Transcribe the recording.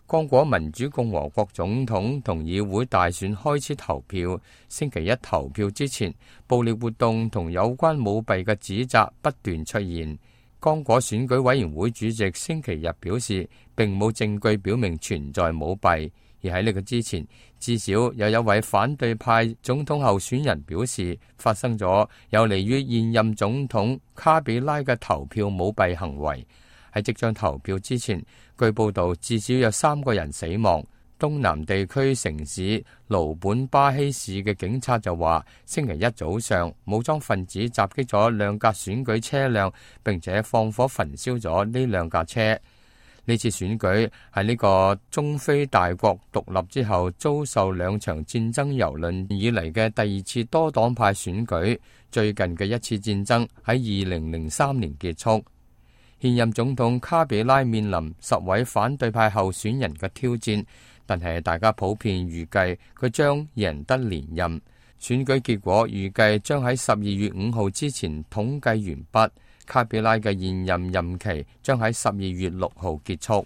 剛果民主共和國總統同議會大選開始投票，星期一投票之前，暴力活動同有關舞弊嘅指責不斷出現。剛果選舉委員會主席星期日表示，並冇證據表明存在舞弊，而喺呢個之前，至少有一位反對派總統候選人表示，發生咗有利於現任總統卡比拉嘅投票舞弊行為。喺即將投票之前，據報道至少有3個人死亡。東南地區城市盧本巴希市嘅警察就話，星期一早上武裝分子襲擊咗2架選舉車輛，並且放火焚燒咗呢2架車。呢次選舉係呢個中非大國獨立之後遭受2場戰爭蹂躪以嚟嘅第2次多黨派選舉，最近嘅一次戰爭喺2003年結束。現任總統卡比拉面臨10位反對派候選人嘅挑戰，但係大家普遍預計佢將贏得連任。選舉結果預計將喺12月5號之前統計完畢。卡比拉嘅現任任期將喺12月6號結束。